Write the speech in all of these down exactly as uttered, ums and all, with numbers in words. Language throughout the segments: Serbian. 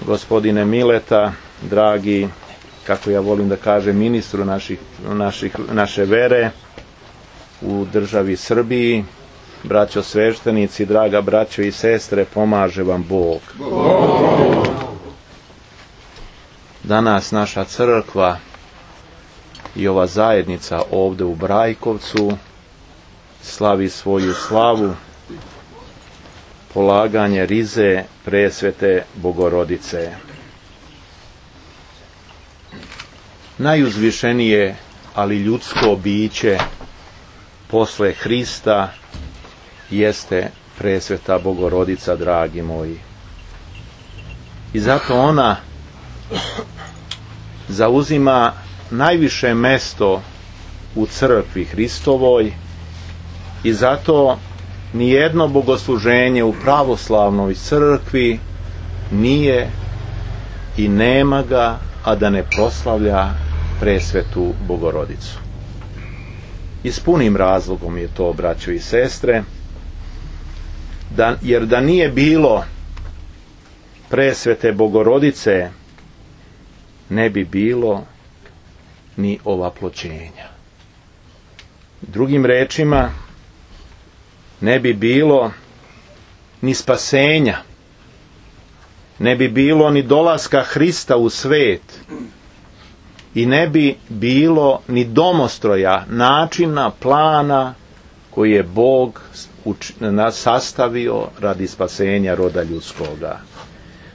gospodine Mileta, dragi, kako ja volim da kažem, ministru naših, naših, naše vere u državi Srbiji, braćo sveštenici, draga braćo i sestre, pomaže vam Bog. Bog. Danas naša crkva i ova zajednica ovdje u Brajkovcu slavi svoju slavu, polaganje rize presvete Bogorodice. Najuzvišenije, ali ljudsko biće posle Hrista jeste presveta Bogorodica, dragi moji. I zato ona zauzima najviše mesto u crkvi Hristovoj i zato nijedno bogosluženje u pravoslavnoj crkvi nije i nema ga, a da ne proslavlja presvetu Bogorodicu. I s punim razlogom je to, braćo i sestre, da, jer da nije bilo presvete Bogorodice, ne bi bilo ni ovaploćenja. Drugim rečima, ne bi bilo ni spasenja, ne bi bilo ni dolaska Hrista u svet i ne bi bilo ni domostroja, načina, plana koji je Bog sastavio radi spasenja roda ljudskoga.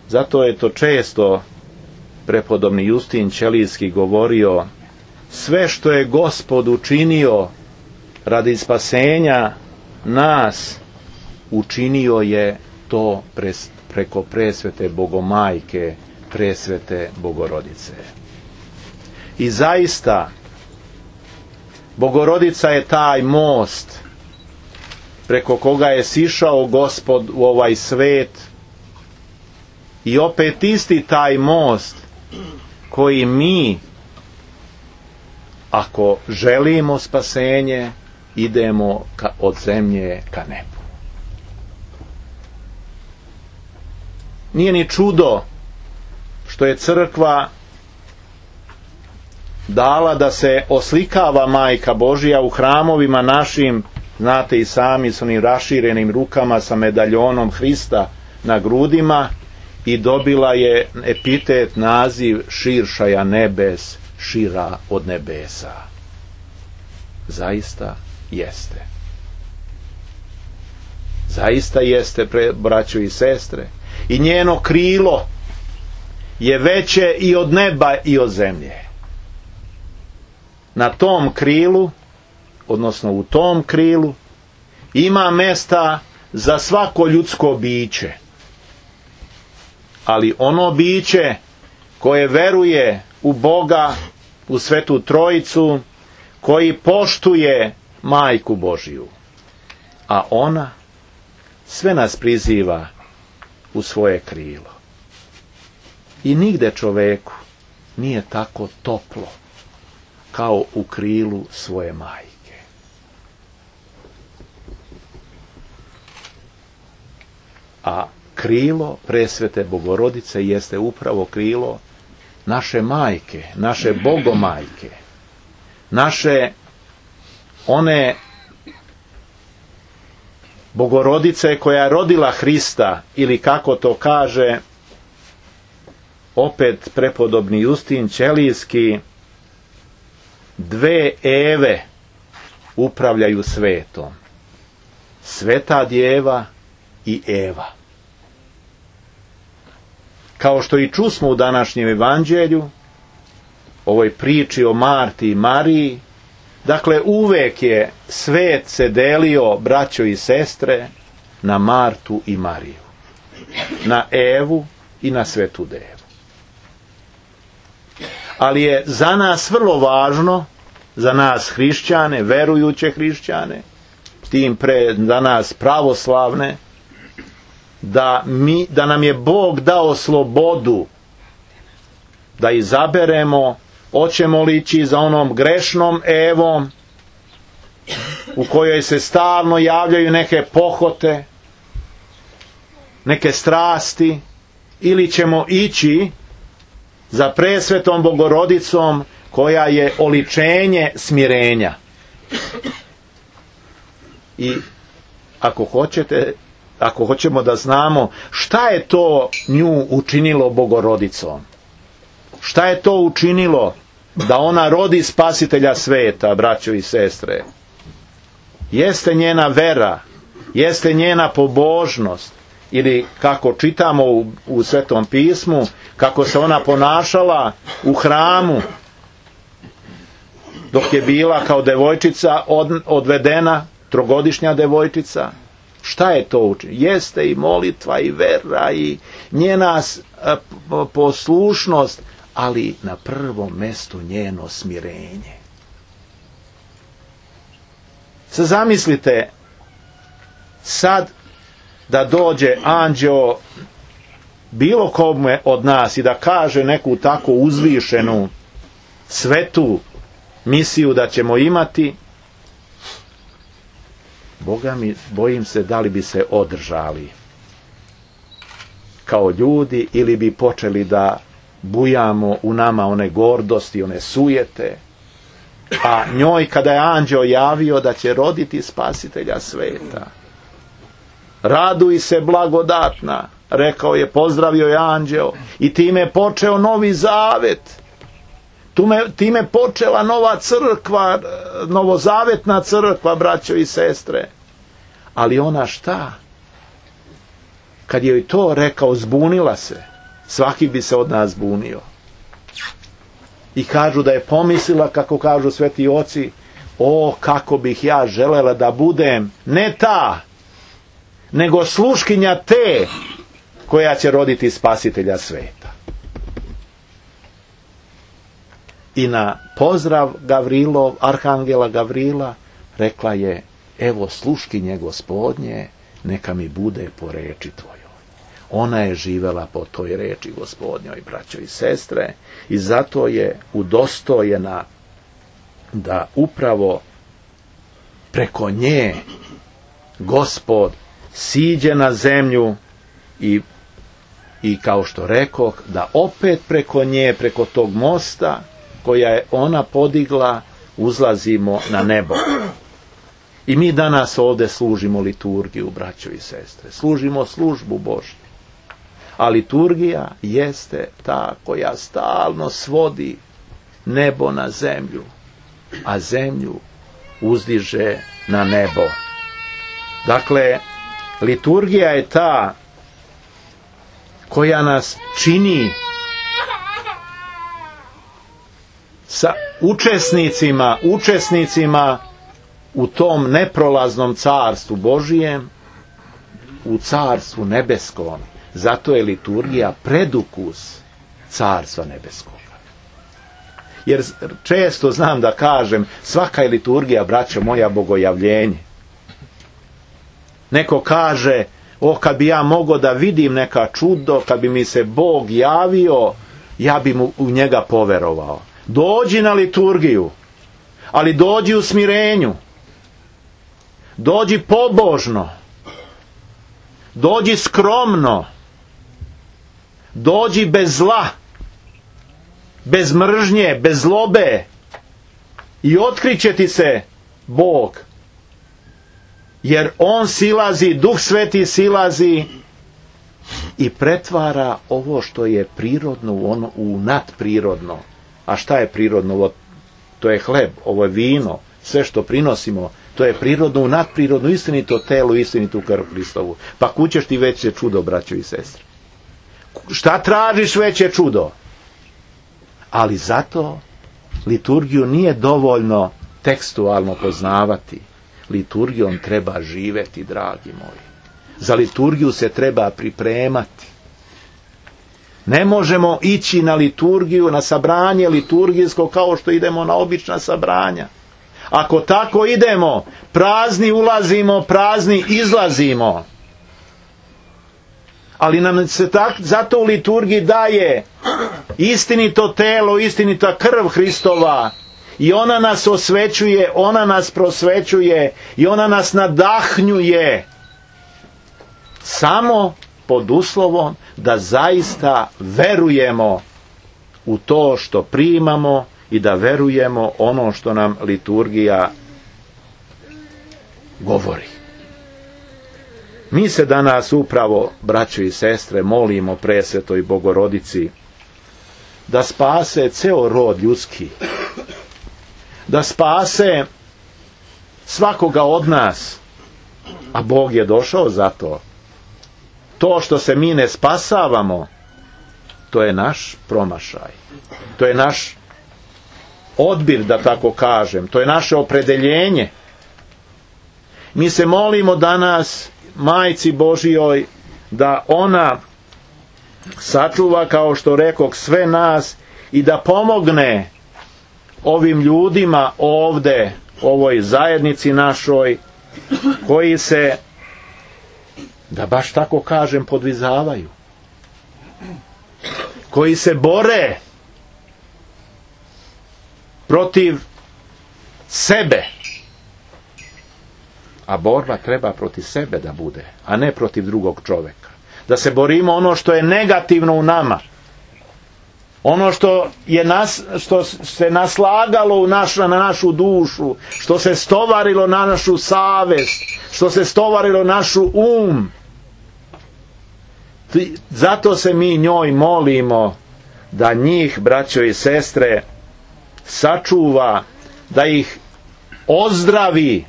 Zato je to često prepodobni Justin Ćelijski govorio: sve što je Gospod učinio radi spasenja nas, učinio je to pres, preko presvete Bogomajke, presvete Bogorodice. I zaista, Bogorodica je taj most preko koga je sišao Gospod u ovaj svet i opet isti taj most koji mi, ako želimo spasenje, idemo ka, od zemlje ka nebu. Nije ni čudo što je crkva dala da se oslikava Majka Božija u hramovima našim, znate i sami, s onim raširenim rukama sa medaljonom Hrista na grudima, i dobila je epitet, naziv širšaja nebes, šira od nebesa. Zaista jeste. Zaista jeste, pre, braćo i sestre. I njeno krilo je veće i od neba i od zemlje. Na tom krilu, odnosno u tom krilu, ima mesta za svako ljudsko biće. Ali ono biće koje veruje u Boga, u Svetu Trojicu, koji poštuje Majku Božiju, a ona sve nas priziva u svoje krilo. I nigde čoveku nije tako toplo kao u krilu svoje majke. A krilo presvete Bogorodice jeste upravo krilo naše majke, naše Bogomajke, naše one Bogorodice koja je rodila Hrista, ili kako to kaže opet prepodobni Justin Ćelijski, dve Eve upravljaju svetom. Sveta Djeva i Eva. Kao što i čusmo u današnjem evanđelju, ovoj priči o Marti i Mariji, dakle uvek je svet se delio, braćo i sestre, na Martu i Mariju, na Evu i na Svetu Devu. Ali je za nas vrlo važno, za nas hrišćane, verujuće hrišćane, tim pre za nas pravoslavne, da, mi, da nam je Bog dao slobodu da izaberemo hoćemo li ići za onom grešnom Evom u kojoj se stalno javljaju neke pohote, neke strasti, ili ćemo ići za presvetom Bogorodicom koja je oličenje smirenja. I ako hoćete, ako hoćemo da znamo šta je to nju učinilo Bogorodicom, šta je to učinilo da ona rodi spasitelja sveta, braćo i sestre, jeste njena vera, jeste njena pobožnost, ili kako čitamo u, u Svetom pismu, kako se ona ponašala u hramu dok je bila kao devojčica od, odvedena, trogodišnja devojčica. Šta je to učinilo? Jeste i molitva i vera i njena a, poslušnost, ali na prvom mjestu njeno smirenje. Sad zamislite sad da dođe anđeo bilo kome od nas i da kaže neku tako uzvišenu svetu misiju da ćemo imati, Boga mi, bojim se da li bi se održali kao ljudi ili bi počeli da bujamo u nama one gordosti, one sujete. A njoj kada je anđeo javio da će roditi spasitelja sveta, raduj se blagodatna, rekao je, pozdravio je anđeo, i time je počeo novi zavet. Time, time počela nova crkva, novozavetna crkva, braćo i sestre. Ali ona šta? Kad je joj to rekao, zbunila se. Svaki bi se od nas zbunio. I kažu da je pomislila, kako kažu sveti oci, o, kako bih ja želela da budem ne ta, nego sluškinja te koja će roditi spasitelja sveta. I na pozdrav Gavrilov, arhangela Gavrila, rekla je, evo sluškinje Gospodnje, neka mi bude po reči tvojoj. Ona je živela po toj reči Gospodnjoj, braćo i sestre, i zato je udostojena da upravo preko nje Gospod siđe na zemlju i, i kao što rekoh, da opet preko nje, preko tog mosta koja je ona podigla, uzlazimo na nebo. I mi danas ovdje služimo liturgiju, braćo i sestre. Služimo službu Božju. A liturgija jeste ta koja stalno svodi nebo na zemlju, a zemlju uzdiže na nebo. Dakle, liturgija je ta koja nas čini sa učesnicima, učesnicima u tom neprolaznom carstvu Božijem, u carstvu nebeskom. Zato je liturgija predukus carstva nebeskoga. Jer često znam da kažem, svaka je liturgija, braćo moja, bogojavljenje. Neko kaže, o, kad bi ja mogao da vidim neka čudo, kad bi mi se Bog javio, ja bi mu u njega poverovao. Dođi na liturgiju, ali dođi u smirenju. Dođi pobožno. Dođi skromno. Dođi bez zla, bez mržnje, bez zlobe, i otkriće ti se Bog. Jer On silazi, Duh Sveti silazi i pretvara ovo što je prirodno u, ono, u nadprirodno. A šta je prirodno? To je hleb, ovo je vino, sve što prinosimo, to je prirodno u nadprirodno, istinito telo, istinitu krv Hristovu. Pa kućeš ti veće čudo, braćo i sestre. Šta tražiš veće čudo? Ali zato liturgiju nije dovoljno tekstualno poznavati. Liturgijom treba živeti, dragi moji. Za liturgiju se treba pripremati. Ne možemo ići na liturgiju, na sabranje liturgijsko kao što idemo na obična sabranja. Ako tako idemo, prazni ulazimo, prazni izlazimo. Ali nam se tak, zato u liturgiji daje istinito telo, istinita krv Hristova, i ona nas osvećuje, ona nas prosvećuje i ona nas nadahnjuje. Samo pod uslovom da zaista verujemo u to što primamo i da verujemo ono što nam liturgija govori. Mi se danas upravo, braćo i sestre, molimo Presvetoj Bogorodici da spase ceo rod ljudski, da spase svakoga od nas, a Bog je došao za to. To što se mi ne spasavamo, to je naš promašaj, to je naš odbir, da tako kažem, to je naše opredeljenje. Mi se molimo danas Majci Božijoj da ona sačuva, kao što rekoh, sve nas i da pomogne ovim ljudima ovde, ovoj zajednici našoj, koji se, da baš tako kažem, podvizavaju, koji se bore protiv sebe. A borba treba protiv sebe da bude, a ne protiv drugog čoveka. Da se borimo ono što je negativno u nama, ono što je nas, što se naslagalo u naš, na našu dušu, što se stovarilo na našu savest, što se stovarilo našu um. Zato se mi njoj molimo da njih, braćo i sestre, sačuva, da ih ozdravi.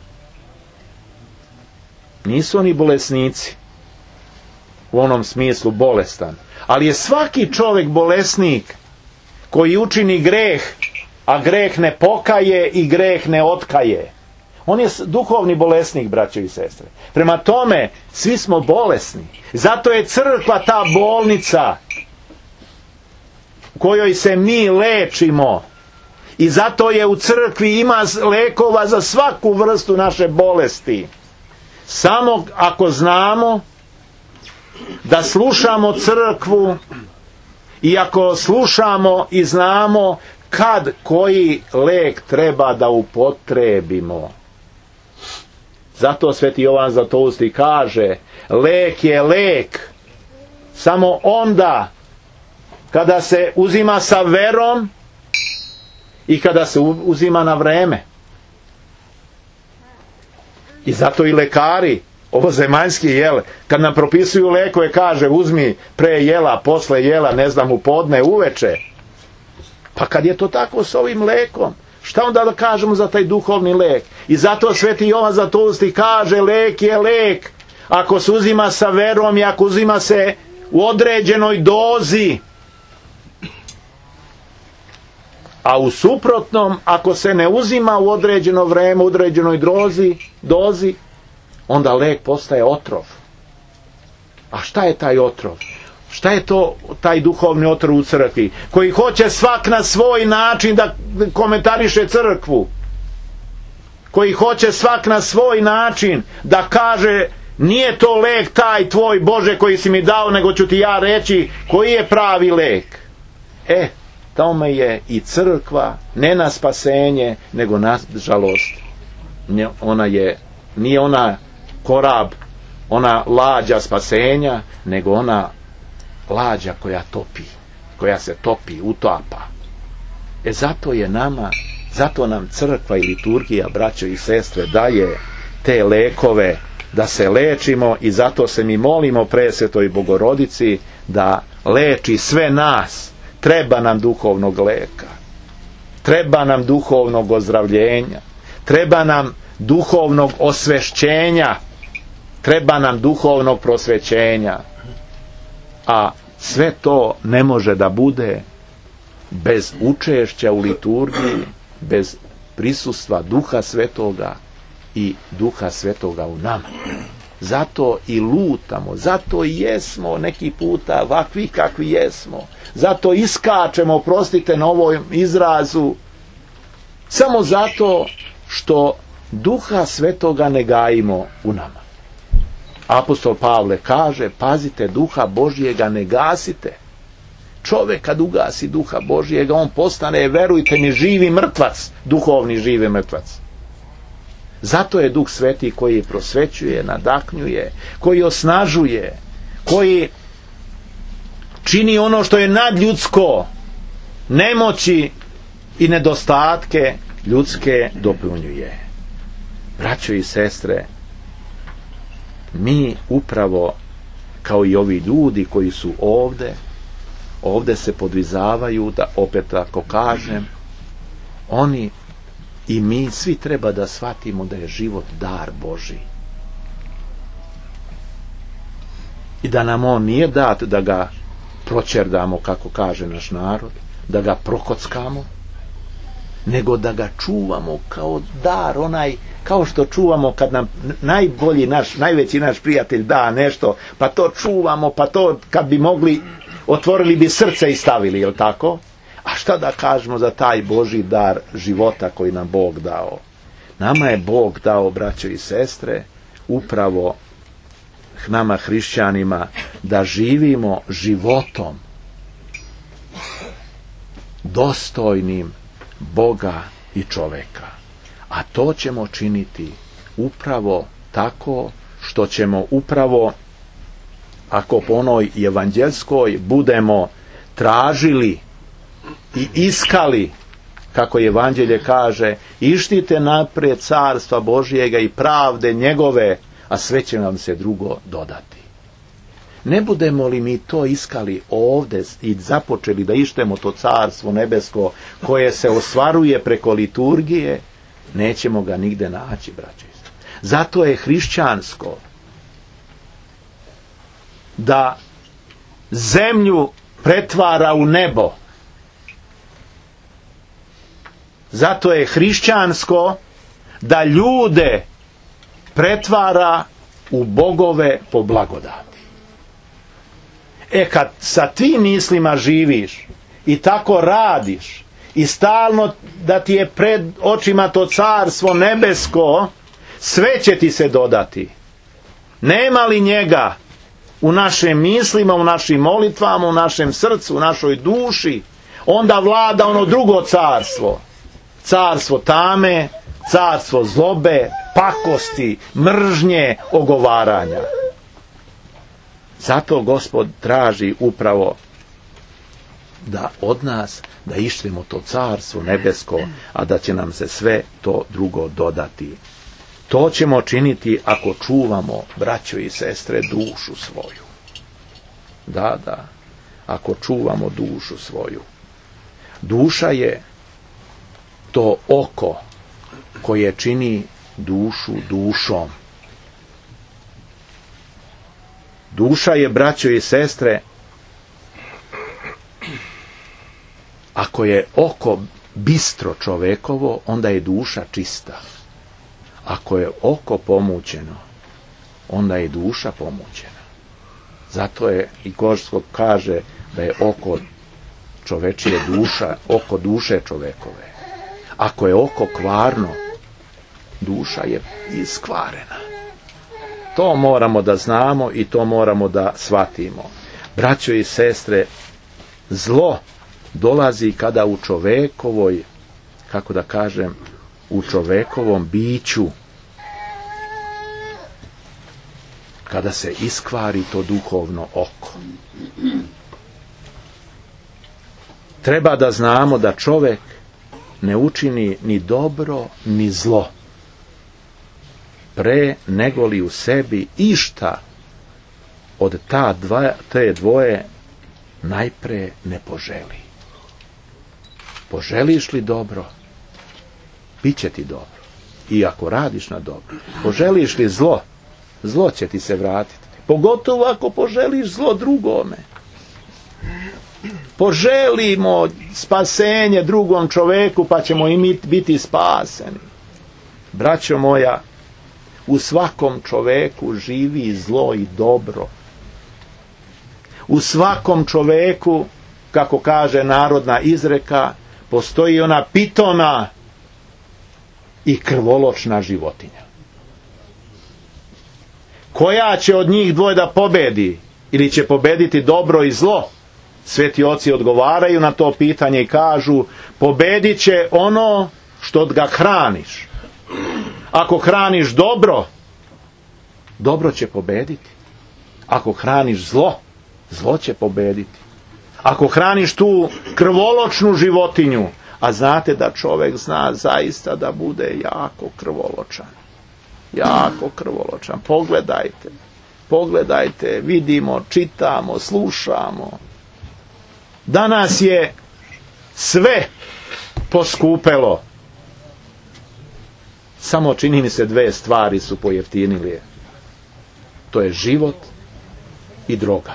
Nisu oni bolesnici u onom smislu bolestan, ali je svaki čovjek bolesnik koji učini greh, a greh ne pokaje i greh ne otkaje. On je duhovni bolesnik, braćo i sestre. Prema tome, svi smo bolesni. Zato je crkva ta bolnica u kojoj se mi lečimo. I zato je u crkvi ima lekova za svaku vrstu naše bolesti. Samo ako znamo da slušamo crkvu i ako slušamo i znamo kad koji lek treba da upotrebimo. Zato Sveti Jovan Zlatousti kaže, lek je lek samo onda kada se uzima sa verom i kada se uzima na vreme. I zato i lekari, ovo zemaljski, jel, kad nam propisuju lekove, kaže uzmi pre jela, posle jela, ne znam, u podne, uveče. Pa kad je to tako s ovim lekom, šta onda da kažemo za taj duhovni lek? I zato Sveti Jovan Zlatousti kaže, lek je lek ako se uzima sa verom i ako uzima se u određenoj dozi. A u suprotnom, ako se ne uzima u određeno vreme, u određenoj dozi, dozi, onda lek postaje otrov. A šta je taj otrov? Šta je to taj duhovni otrov u crkvi? Koji hoće svak na svoj način da komentariše crkvu. Koji hoće svak na svoj način da kaže, nije to lek taj tvoj Bože koji si mi dao, nego ću ti ja reći koji je pravi lek. E, tome je i crkva ne na spasenje, nego na žalost. Ona je, nije ona korab, ona lađa spasenja, nego ona lađa koja topi, koja se topi, utapa. E zato je nama, zato nam crkva i liturgija, braćo i sestre, daje te lekove da se lečimo i zato se mi molimo Presvetoj Bogorodici da leči sve nas. Treba nam duhovnog leka, treba nam duhovnog ozdravljenja, treba nam duhovnog osvešćenja, treba nam duhovnog prosvećenja. A sve to ne može da bude bez učešća u liturgiji, bez prisustva Duha Svetoga i Duha Svetoga u nama. Zato i lutamo, zato i jesmo neki puta ovakvi kakvi jesmo, zato iskačemo, oprostite na ovom izrazu, samo zato što Duha Svetoga ne gajimo u nama. Apostol Pavle kaže, pazite, Duha Božjega ne gasite. Čovjek kad ugasi Duha Božjega, on postane, verujte mi, živi mrtvac, duhovni živi mrtvac. Zato je Duh Sveti koji prosvećuje, nadahnjuje, koji osnažuje, koji čini ono što je nadljudsko, nemoći i nedostatke ljudske dopunjuje. Braćo i sestre, mi upravo kao i ovi ljudi koji su ovde, ovde se podvizavaju, da opet tako kažem, oni i mi svi treba da shvatimo da je život dar Božji. I da nam on nije dat da ga proćerdamo, kako kaže naš narod, da ga prokockamo, nego da ga čuvamo kao dar, onaj, kao što čuvamo kad nam najbolji naš, najveći naš prijatelj da nešto, pa to čuvamo, pa to kad bi mogli, otvorili bi srce i stavili, jel tako? A šta da kažemo za taj Božji dar života koji nam Bog dao? Nama je Bog dao, braćo i sestre, upravo nama hrišćanima, da živimo životom dostojnim Boga i čoveka. A to ćemo činiti upravo tako što ćemo upravo, ako po onoj evanđelskoj budemo tražili i iskali, kako evanđelje kaže, ištite naprijed carstva Božjega i pravde njegove, a sve će nam se drugo dodati. Ne budemo li mi to iskali ovde i započeli da ištemo to carstvo nebesko koje se ostvaruje preko liturgije, nećemo ga nigde naći, braće. Zato je hrišćansko da zemlju pretvara u nebo. Zato je hrišćansko da ljude pretvara u bogove po blagodati. E kad sa tim mislima živiš i tako radiš i stalno da ti je pred očima to carstvo nebesko, sve će ti se dodati. Nema li njega u našim mislima, u našim molitvama, u našem srcu, u našoj duši, onda vlada ono drugo carstvo. Carstvo tame, carstvo zlobe, pakosti, mržnje, ogovaranja. Zato Gospod traži upravo da od nas da ištemo to carstvo nebesko, a da će nam se sve to drugo dodati. To ćemo činiti ako čuvamo, braćo i sestre, dušu svoju. Da, da, ako čuvamo dušu svoju. Duša je to oko koje čini dušu dušom. Duša je, braćo i sestre, ako je oko bistro čovekovo, onda je duša čista. Ako je oko pomućeno, onda je duša pomućena. Zato je i Gospod kaže da je oko čovečije duša, oko duše čovekove. Ako je oko kvarno, duša je iskvarena. To moramo da znamo i to moramo da shvatimo. Braćo i sestre, zlo dolazi kada u čovekovoj, kako da kažem, u čovekovom biću, kada se iskvari to duhovno oko. Treba da znamo da čovek ne učini ni dobro ni zlo, pre nego li u sebi išta od ta dva, te dvoje najpre ne poželi. Poželiš li dobro, bit će ti dobro. I ako radiš na dobro. Poželiš li zlo, zlo će ti se vratiti. Pogotovo ako poželiš zlo drugome. Poželimo spasenje drugom čoveku, pa ćemo i mi biti spaseni. Braćo moja, u svakom čoveku živi zlo i dobro. U svakom čoveku, kako kaže narodna izreka, postoji ona pitona i krvoločna životinja. Koja će od njih dvoje da pobedi? Ili će pobediti dobro i zlo? Sveti oci odgovaraju na to pitanje i kažu, pobedit će ono što ga hraniš. Ako hraniš dobro, dobro će pobediti. Ako hraniš zlo, zlo će pobediti. Ako hraniš tu krvoločnu životinju, a znate da čovjek zna zaista da bude jako krvoločan. Jako krvoločan. Pogledajte. Pogledajte, vidimo, čitamo, slušamo. Danas je sve poskupelo. Samo čini mi se dve stvari su pojeftinile. To je život i droga.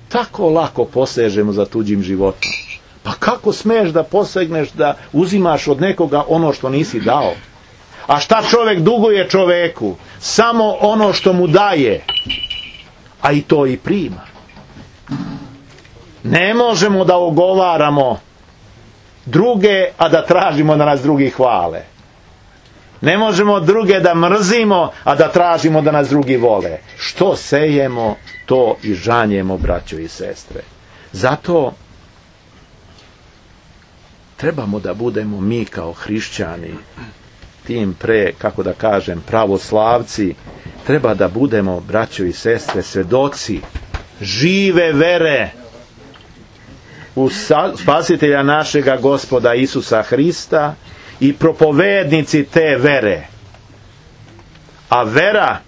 Tako lako posežemo za tuđim životom. Pa kako smiješ da posegneš da uzimaš od nekoga ono što nisi dao? A šta čovjek duguje čovjeku? Samo ono što mu daje. A i to i prima. Ne možemo da ogovaramo druge, a da tražimo da nas drugi hvale. Ne možemo druge da mrzimo, a da tražimo da nas drugi vole. Što sejemo, to i žanjemo, braćo i sestre. Zato trebamo da budemo mi kao hrišćani, tim pre, kako da kažem, pravoslavci, treba da budemo, braćo i sestre, svedoci žive vere u spasitelja našega Gospoda Isusa Hrista i propovednici te vere. A vera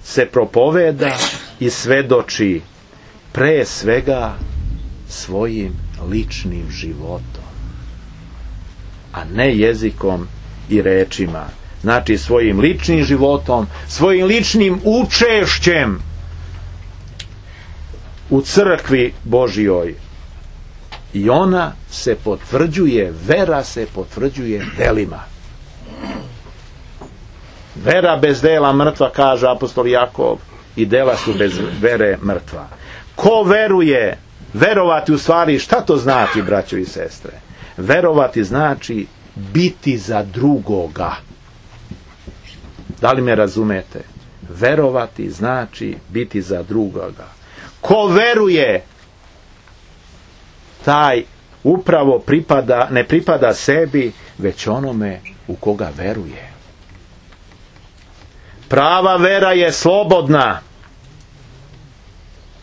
se propoveda i svedoči pre svega svojim ličnim životom, a ne jezikom i rečima. Znači svojim ličnim životom, svojim ličnim učešćem u crkvi Božjoj. I ona se potvrđuje, vera se potvrđuje delima. Vera bez dela mrtva, kaže apostol Jakov, i dela su bez vere mrtva. Ko veruje, verovati u stvari, šta to znači, braćo i sestre? Verovati znači biti za drugoga. Da li me razumete? Verovati znači biti za drugoga. Ko veruje, taj upravo pripada, ne pripada sebi, već onome u koga veruje. Prava vera je slobodna.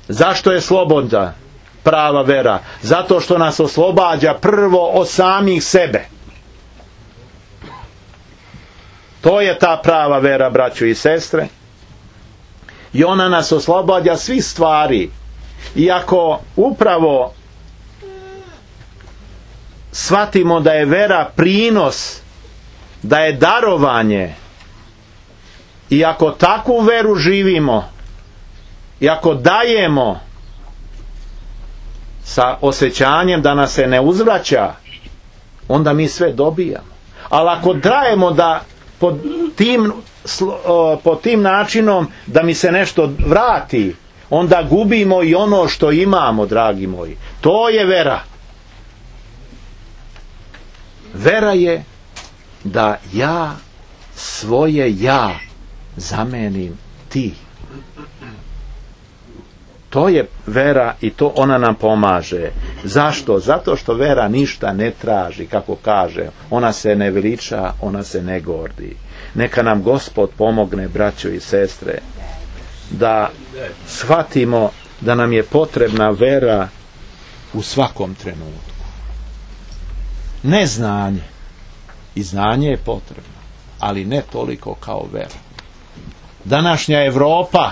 Zašto je slobodna prava vera? Zato što nas oslobađa prvo od samih sebe. To je ta prava vera, braćo i sestre. I ona nas oslobađa svih stvari. Iako upravo shvatimo da je vera prinos, da je darovanje, i ako takvu veru živimo, i ako dajemo sa osjećanjem da nas se ne uzvraća, onda mi sve dobijamo. Ali ako dajemo da pod tim, pod tim načinom da mi se nešto vrati, onda gubimo i ono što imamo, dragi moji. To je vera. Vera je da ja svoje ja zamenim ti. To je vera i to ona nam pomaže. Zašto? Zato što vera ništa ne traži, kako kaže. Ona se ne veliča, ona se ne gordi. Neka nam Gospod pomogne, braćo i sestre, da shvatimo da nam je potrebna vera u svakom trenutku. Ne znanje. I znanje je potrebno, ali ne toliko kao vera. Današnja Evropa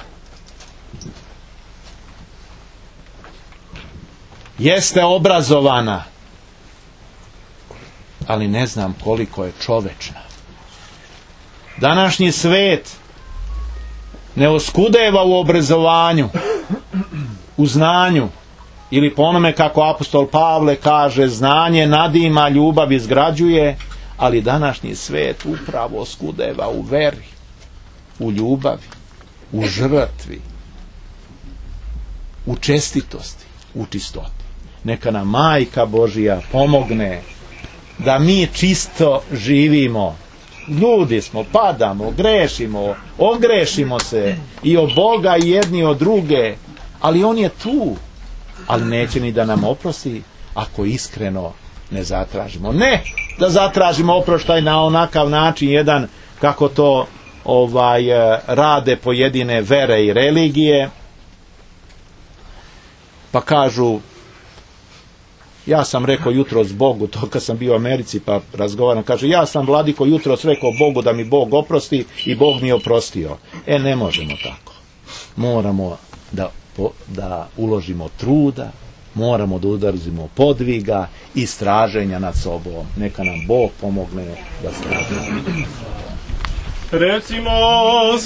jeste obrazovana, ali ne znam koliko je čovečna. Današnji svet ne oskudeva u obrazovanju, u znanju, ili po onome kako apostol Pavle kaže, znanje nadima, ljubav izgrađuje, ali današnji svet upravo oskudeva u veri, u ljubavi, u žrtvi, u čestitosti, u čistoti. Neka nam Majka Božija pomogne da mi čisto živimo. Ljudi smo, padamo, grešimo, ogrešimo se i od Boga i jedni od druge, ali on je tu, ali neće ni da nam oprosti ako iskreno ne zatražimo. Ne da zatražimo oproštaj na onakav način jedan kako to ovaj rade pojedine vere i religije, pa kažu, ja sam rekao jutros Bogu, to kad sam bio u Americi pa razgovaram, kaže, ja sam vladiko jutros rekao Bogu da mi Bog oprosti i Bog mi oprostio. E, ne možemo tako. Moramo da, da uložimo truda, moramo da udarzimo podviga i straženja nad sobom. Neka nam Bog pomogne da stražimo. Recimo